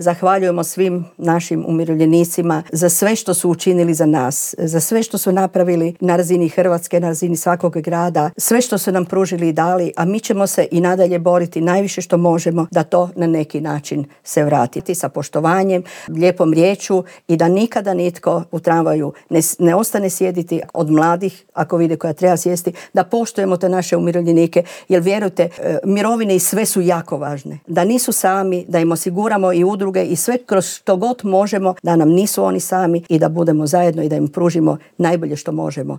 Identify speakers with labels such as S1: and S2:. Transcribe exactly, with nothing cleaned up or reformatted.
S1: Zahvaljujemo svim našim umirovljenicima za sve što su učinili za nas, za sve što su napravili na razini Hrvatske, na razini svakog grada, sve što su nam pružili i dali, a mi ćemo se i nadalje boriti najviše što možemo da to na neki način se vratiti sa poštovanjem, lijepom riječu i da nikada nitko u tramvaju ne, ne ostane sjediti od mladih, ako vide koja treba sjesti, da poštujemo te naše umirovljenike, jer vjerujte, mirovine i sve su jako važne. Da nisu sami, da im osiguramo i udruge i sve kroz što god možemo, da nam nisu oni sami i da budemo zajedno i da im pružimo najbolje što možemo.